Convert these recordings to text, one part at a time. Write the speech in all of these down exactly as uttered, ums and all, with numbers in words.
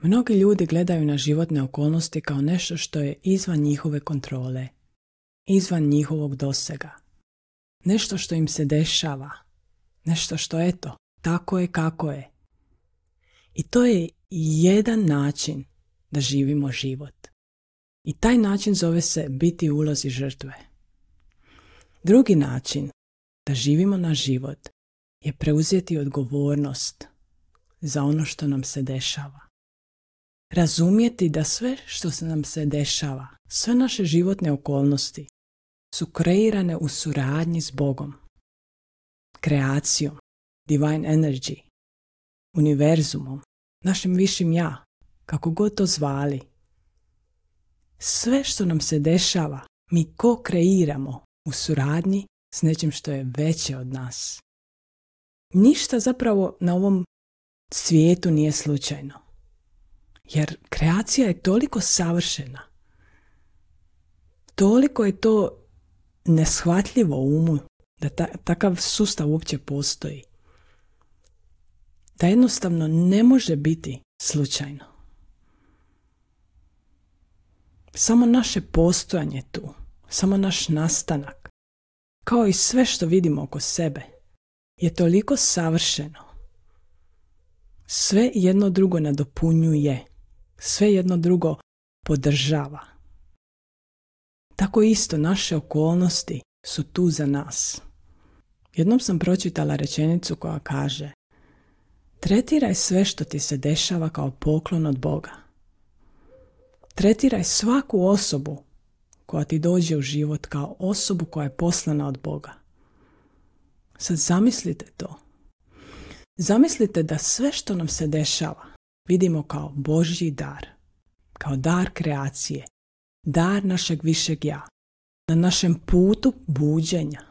Mnogi ljudi gledaju na životne okolnosti kao nešto što je izvan njihove kontrole, izvan njihovog dosega. Nešto što im se dešava, nešto što eto, tako je kako je. I to je jedan način da živimo život. I taj način zove se biti u ulozi žrtve. Drugi način da živimo na život je preuzeti odgovornost za ono što nam se dešava. Razumjeti da sve što se nam se dešava, sve naše životne okolnosti su kreirane u suradnji s Bogom, kreacijom, divine energy, univerzumom, našim višim ja, kako god to zvali. Sve što nam se dešava, mi ko-kreiramo u suradnji s nečim što je veće od nas. Ništa zapravo na ovom svijetu nije slučajno. Jer kreacija je toliko savršena. Toliko je to neshvatljivo umu da ta, takav sustav uopće postoji. Da jednostavno ne može biti slučajno. Samo naše postojanje tu, samo naš nastanak, kao i sve što vidimo oko sebe, je toliko savršeno. Sve jedno drugo nadopunjuje, sve jedno drugo podržava. Tako isto naše okolnosti su tu za nas. Jednom sam pročitala rečenicu koja kaže: tretiraj sve što ti se dešava kao poklon od Boga. Tretiraj svaku osobu koja ti dođe u život kao osobu koja je poslana od Boga. Sad zamislite to. Zamislite da sve što nam se dešava vidimo kao Božji dar, kao dar kreacije, dar našeg višeg ja, na našem putu buđenja,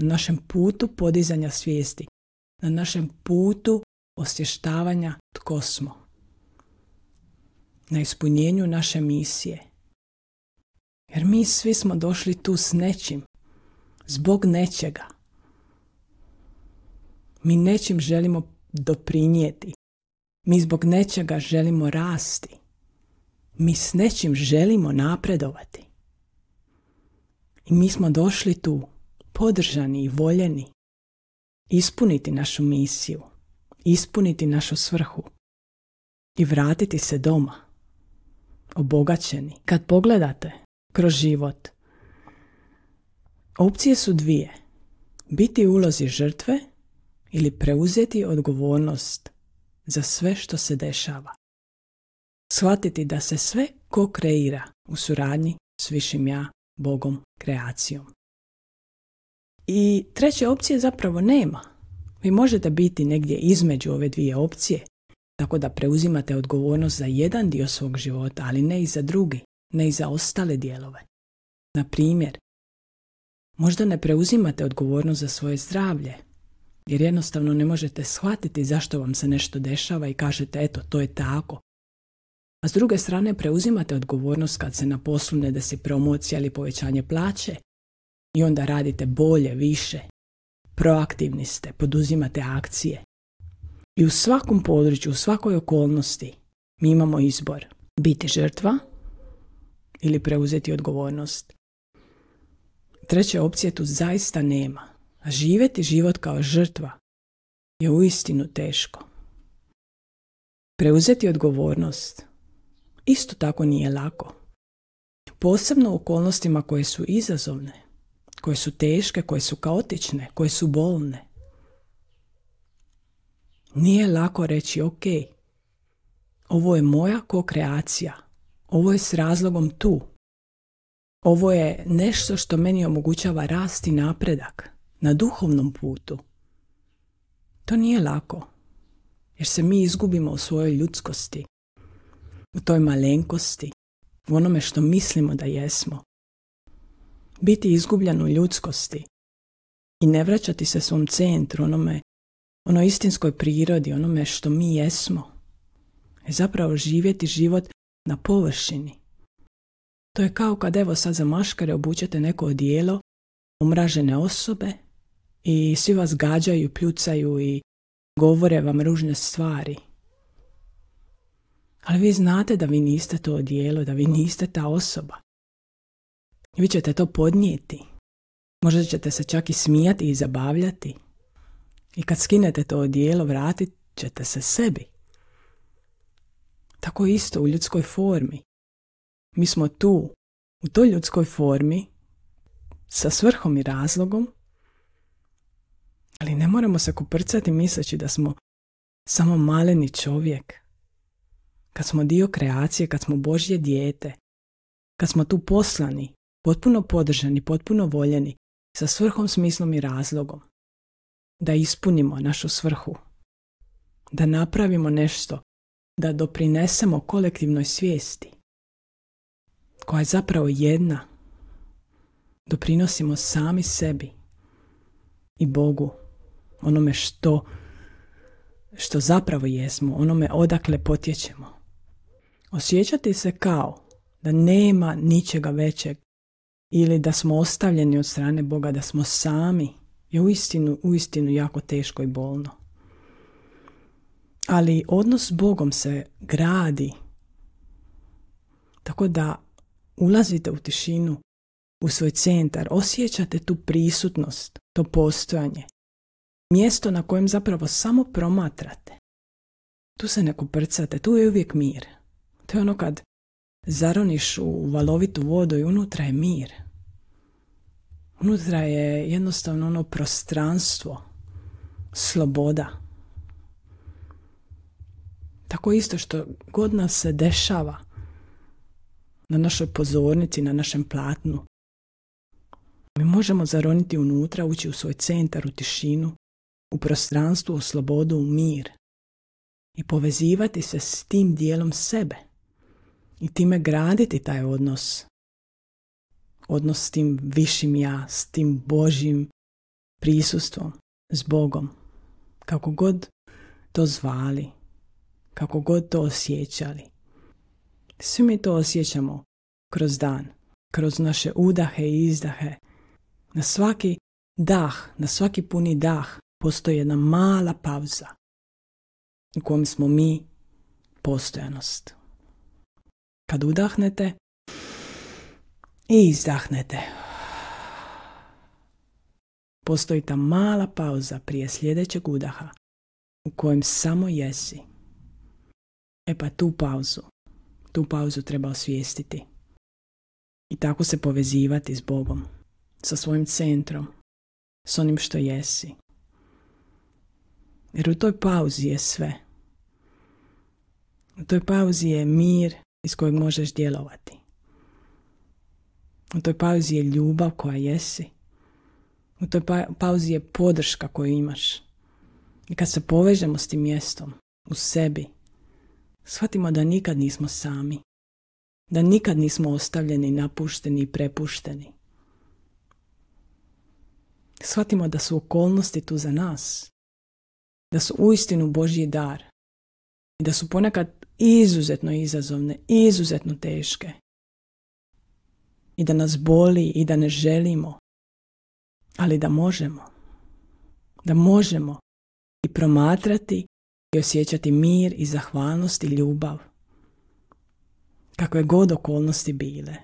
na našem putu podizanja svijesti, na našem putu osvještavanja tko smo, na ispunjenju naše misije. Jer mi svi smo došli tu s nečim, zbog nečega. Mi nečim želimo doprinijeti. Mi zbog nečega želimo rasti. Mi s nečim želimo napredovati. I mi smo došli tu, podržani i voljeni, ispuniti našu misiju, ispuniti našu svrhu i vratiti se doma, obogaćeni. Kad pogledate kroz život, opcije su dvije. Biti u ulozi žrtve ili preuzeti odgovornost za sve što se dešava. Shvatiti da se sve ko-kreira u suradnji s višim ja, Bogom, kreacijom. I treće opcije zapravo nema. Vi možete biti negdje između ove dvije opcije, tako da preuzimate odgovornost za jedan dio svog života, ali ne i za drugi, ne i za ostale dijelove. Na primjer, možda ne preuzimate odgovornost za svoje zdravlje, jer jednostavno ne možete shvatiti zašto vam se nešto dešava i kažete eto, to je tako. A s druge strane preuzimate odgovornost kad se na poslu ne desi promocija ili povećanje plaće i onda radite bolje, više, proaktivni ste, poduzimate akcije. I u svakom području, u svakoj okolnosti mi imamo izbor. Biti žrtva ili preuzeti odgovornost. Treće opcije tu zaista nema. A živjeti život kao žrtva je uistinu teško. Preuzeti odgovornost isto tako nije lako. Posebno u okolnostima koje su izazovne, koje su teške, koje su kaotične, koje su bolne. Nije lako reći ok, ovo je moja ko-kreacija, ovo je s razlogom tu. Ovo je nešto što meni omogućava rast i napredak na duhovnom putu. To nije lako, jer se mi izgubimo u svojoj ljudskosti, u toj malenkosti, u onome što mislimo da jesmo. Biti izgubljen u ljudskosti i ne vraćati se svom centru, onome, onoj istinskoj prirodi, onome što mi jesmo, je zapravo živjeti život na površini. To je kao kad evo sad za maškare obučete neko odijelo omražene osobe i svi vas gađaju, pljucaju i govore vam ružne stvari. Ali Ali vi znate da vi niste to odijelo, da vi niste ta osoba. Vi ćete to podnijeti. Možda ćete se čak i smijati i zabavljati. I kad skinete to odijelo, vratit ćete se sebi. Tako isto u ljudskoj formi. Mi smo tu, u toj ljudskoj formi, sa svrhom i razlogom, ali ne moramo se koprcati misleći da smo samo maleni čovjek. Kad smo dio kreacije, kad smo Božje dijete, kad smo tu poslani, potpuno podržani, potpuno voljeni, sa svrhom, smislom i razlogom, da ispunimo našu svrhu, da napravimo nešto, da doprinesemo kolektivnoj svijesti, koja je zapravo jedna. Doprinosimo sami sebi i Bogu, onome što, što zapravo jesmo, onome odakle potječemo. Osjećati se kao da nema ničega većeg ili da smo ostavljeni od strane Boga, da smo sami, je uistinu, uistinu jako teško i bolno. Ali odnos s Bogom se gradi tako da ulazite u tišinu, u svoj centar, osjećate tu prisutnost, to postojanje. Mjesto na kojem zapravo samo promatrate. Tu se ne koprcate, tu je uvijek mir. To je ono kad zaroniš u valovitu vodu i unutra je mir. Unutra je jednostavno ono prostranstvo, sloboda. Tako isto što god nas se dešava na našoj pozornici, na našem platnu, mi možemo zaroniti unutra, ući u svoj centar, u tišinu, u prostranstvo, u slobodu, u mir i povezivati se s tim dijelom sebe i time graditi taj odnos. Odnos s tim višim ja, s tim Božjim prisustvom, s Bogom. Kako god to zvali, kako god to osjećali. Svi mi to osjećamo kroz dan, kroz naše udahe i izdahe. Na svaki dah, na svaki puni dah postoji jedna mala pauza u kojem smo mi postojanost. Kad udahnete i izdahnete, postoji ta mala pauza prije sljedećeg udaha u kojem samo jesi. E pa tu pauzu, tu pauzu treba osvijestiti i tako se povezivati s Bogom, sa svojim centrom, s onim što jesi. Jer u toj pauzi je sve. U toj pauzi je mir iz kojeg možeš djelovati. U toj pauzi je ljubav koja jesi. U toj pa- pauzi je podrška koju imaš. I kad se povežemo s tim mjestom, u sebi, shvatimo da nikad nismo sami. Da nikad nismo ostavljeni, napušteni i prepušteni. Shvatimo da su okolnosti tu za nas. Da su uistinu Božji dar. I da su ponekad izuzetno izazovne, izuzetno teške. I da nas boli i da ne želimo. Ali da možemo. Da možemo i promatrati i osjećati mir i zahvalnost i ljubav. Kakve god okolnosti bile.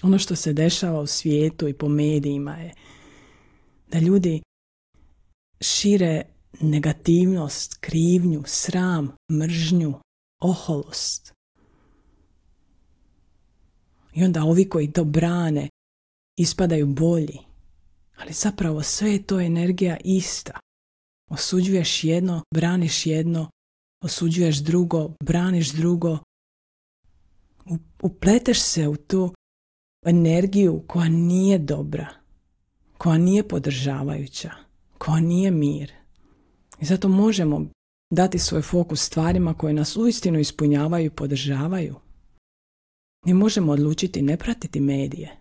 Ono što se dešava u svijetu i po medijima je da ljudi šire negativnost, krivnju, sram, mržnju, oholost. I onda ovi koji to brane ispadaju bolji. Ali zapravo sve je to energija ista. Osuđuješ jedno, braniš jedno, osuđuješ drugo, braniš drugo. Upleteš se u tu energiju koja nije dobra, koja nije podržavajuća, koja nije mir. I zato možemo dati svoj fokus stvarima koje nas uistinu ispunjavaju i podržavaju. Mi možemo odlučiti ne pratiti medije,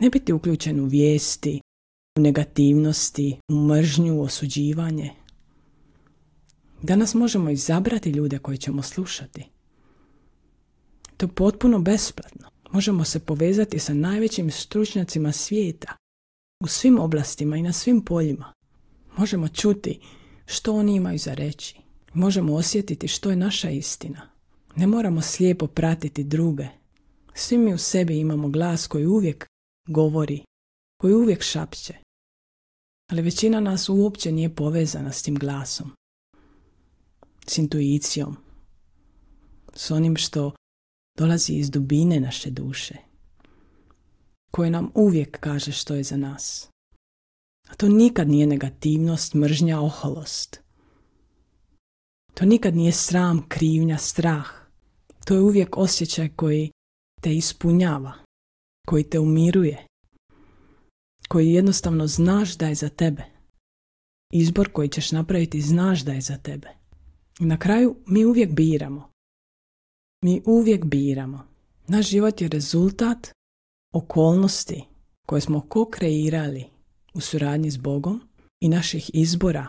ne biti uključen u vijesti, u negativnosti, u mržnju, u osuđivanje. Danas možemo izabrati ljude koje ćemo slušati. To je potpuno besplatno. Možemo se povezati sa najvećim stručnjacima svijeta u svim oblastima i na svim poljima. Možemo čuti što oni imaju za reći. Možemo osjetiti što je naša istina. Ne moramo slijepo pratiti druge. Svi mi u sebi imamo glas koji uvijek govori, koji uvijek šapće. Ali većina nas uopće nije povezana s tim glasom, s intuicijom, s onim što dolazi iz dubine naše duše, koje nam uvijek kaže što je za nas. A to nikad nije negativnost, mržnja, oholost. To nikad nije sram, krivnja, strah. To je uvijek osjećaj koji te ispunjava, koji te umiruje, koji jednostavno znaš da je za tebe. Izbor koji ćeš napraviti znaš da je za tebe. I na kraju mi uvijek biramo. Mi uvijek biramo. Naš život je rezultat okolnosti koje smo ko-kreirali u suradnji s Bogom i naših izbora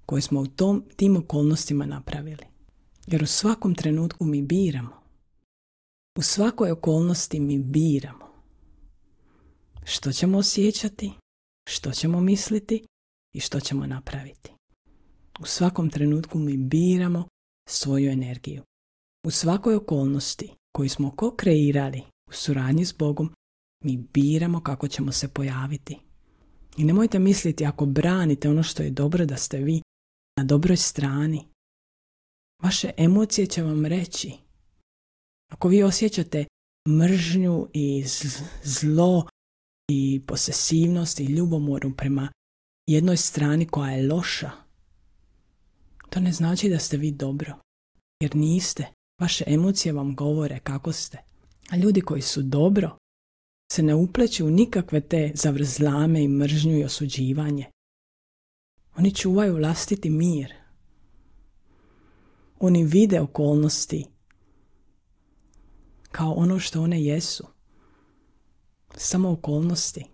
koje smo u tom, tim okolnostima napravili. Jer u svakom trenutku mi biramo. U svakoj okolnosti mi biramo. Što ćemo osjećati, što ćemo misliti i što ćemo napraviti. U svakom trenutku mi biramo svoju energiju. U svakoj okolnosti koju smo ko-kreirali u suradnji s Bogom, mi biramo kako ćemo se pojaviti. I nemojte misliti ako branite ono što je dobro da ste vi na dobroj strani. Vaše emocije će vam reći. Ako vi osjećate mržnju i zlo i posesivnost i ljubomoru prema jednoj strani koja je loša, to ne znači da ste vi dobro. Jer niste. Vaše emocije vam govore kako ste. A ljudi koji su dobro se ne upleću u nikakve te zavrzlame i mržnju i osuđivanje. Oni čuvaju vlastiti mir. Oni vide okolnosti kao ono što one jesu. Samo okolnosti.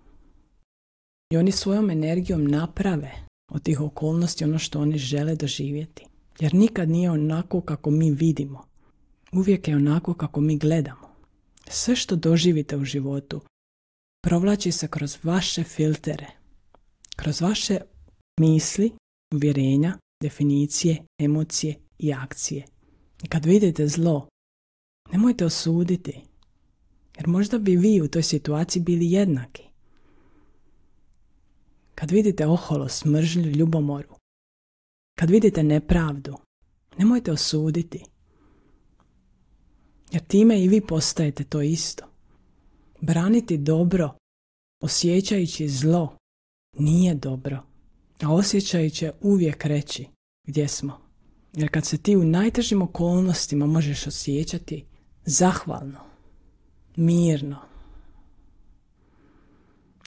I oni svojom energijom naprave od tih okolnosti ono što oni žele doživjeti. Jer nikad nije onako kako mi vidimo. Uvijek je onako kako mi gledamo. Sve što doživite u životu provlači se kroz vaše filtere, kroz vaše misli, uvjerenja, definicije, emocije i akcije. I kad vidite zlo, nemojte osuditi, jer možda bi vi u toj situaciji bili jednaki. Kad vidite oholost, mržnju, ljubomoru, kad vidite nepravdu, nemojte osuditi, jer time i vi postajete to isto. Braniti dobro, osjećajući zlo, nije dobro, a osjećaj će uvijek reći gdje smo. Jer kad se ti u najtežim okolnostima možeš osjećati zahvalno, mirno,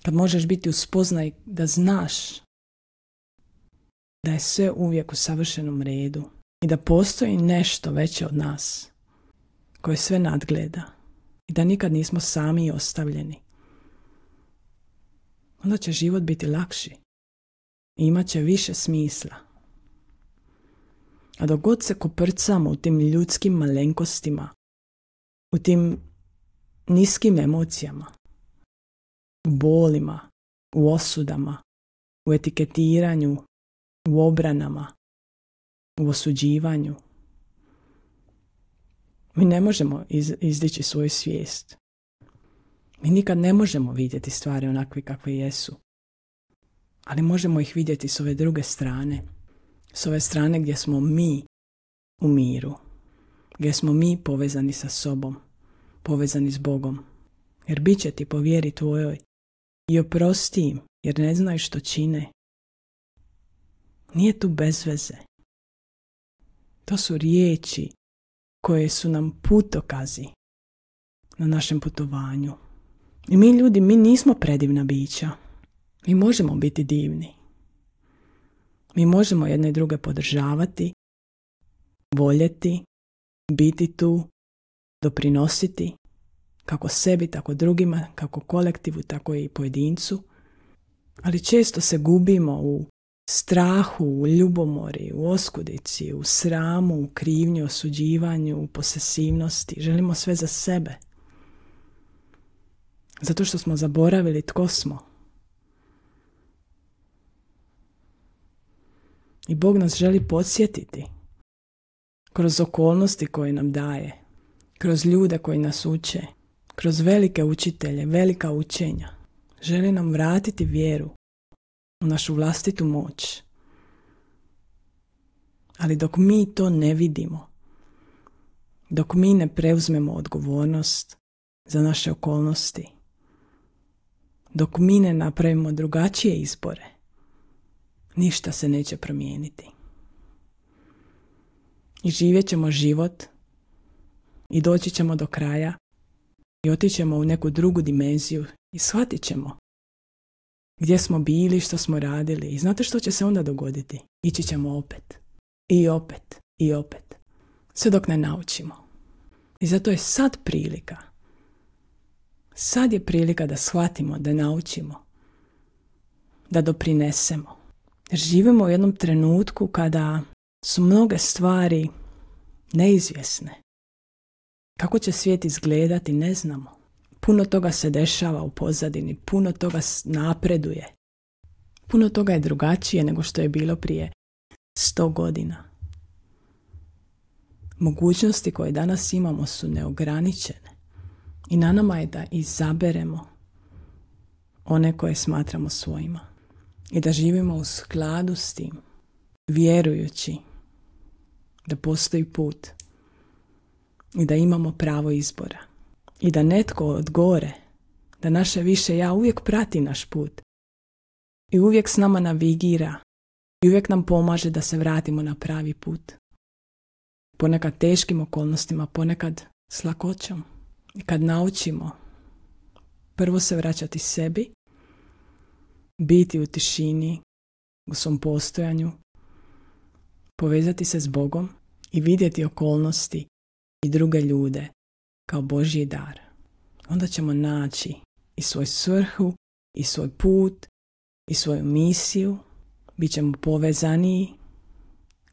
kad možeš biti u spoznaji da znaš da je sve uvijek u savršenom redu i da postoji nešto veće od nas koje sve nadgleda i da nikad nismo sami i ostavljeni, onda će život biti lakši i imat će više smisla. A dok god se koprcamo u tim ljudskim malenkostima, u tim niskim emocijama, u bolima, u osudama, u etiketiranju, u obranama, u osuđivanju, mi ne možemo iz, izdići svoju svijest. Mi nikad ne možemo vidjeti stvari onakve kakve jesu. Ali možemo ih vidjeti s ove druge strane. S ove strane gdje smo mi u miru. Gdje smo mi povezani sa sobom. Povezani s Bogom. Jer bit će ti po vjeri tvojoj. I oprosti im, jer ne znaju što čine. Nije tu bez veze. To su riječi koje su nam putokazi na našem putovanju. I mi ljudi, mi nismo predivna bića. Mi možemo biti divni. Mi možemo jedne i druge podržavati, voljeti, biti tu, doprinositi, kako sebi, tako drugima, kako kolektivu, tako i pojedincu. Ali često se gubimo u strahu, u ljubomori, u oskudici, u sramu, u krivnji, osuđivanju, u posesivnosti. Želimo sve za sebe. Zato što smo zaboravili tko smo. I Bog nas želi podsjetiti kroz okolnosti koje nam daje, kroz ljude koji nas uče, kroz velike učitelje, velika učenja. Želi nam vratiti vjeru u našu vlastitu moć. Ali dok mi to ne vidimo, dok mi ne preuzmemo odgovornost za naše okolnosti, dok mi ne napravimo drugačije izbore, ništa se neće promijeniti. I živjet ćemo život i doći ćemo do kraja i otići ćemo u neku drugu dimenziju i shvatit ćemo gdje smo bili, što smo radili. I znate što će se onda dogoditi? Ići ćemo opet. I opet. I opet. Sve dok ne naučimo. I zato je sad prilika. Sad je prilika da shvatimo, da naučimo. Da doprinesemo. Jer živimo u jednom trenutku kada su mnoge stvari neizvjesne. Kako će svijet izgledati, ne znamo. Puno toga se dešava u pozadini, puno toga napreduje. Puno toga je drugačije nego što je bilo prije sto godina. Mogućnosti koje danas imamo su neograničene. I na nama je da izaberemo one koje smatramo svojima. I da živimo u skladu s tim, vjerujući da postoji put i da imamo pravo izbora. I da netko od gore, da naše više ja uvijek prati naš put i uvijek s nama navigira i uvijek nam pomaže da se vratimo na pravi put. Ponekad teškim okolnostima, ponekad s lakoćom. I kad naučimo prvo se vraćati sebi, biti u tišini, u svom postojanju, povezati se s Bogom i vidjeti okolnosti i druge ljude kao Božji dar. Onda ćemo naći i svoj svrhu, i svoj put, i svoju misiju. Bićemo povezaniji,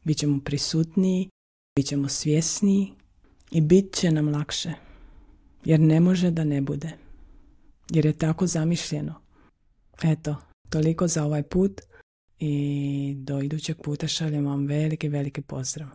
bit ćemo prisutniji, bit ćemo svjesniji i bit će nam lakše. Jer ne može da ne bude. Jer je tako zamišljeno. Eto, toliko za ovaj put i do idućeg puta šaljem vam veliki, veliki pozdrav.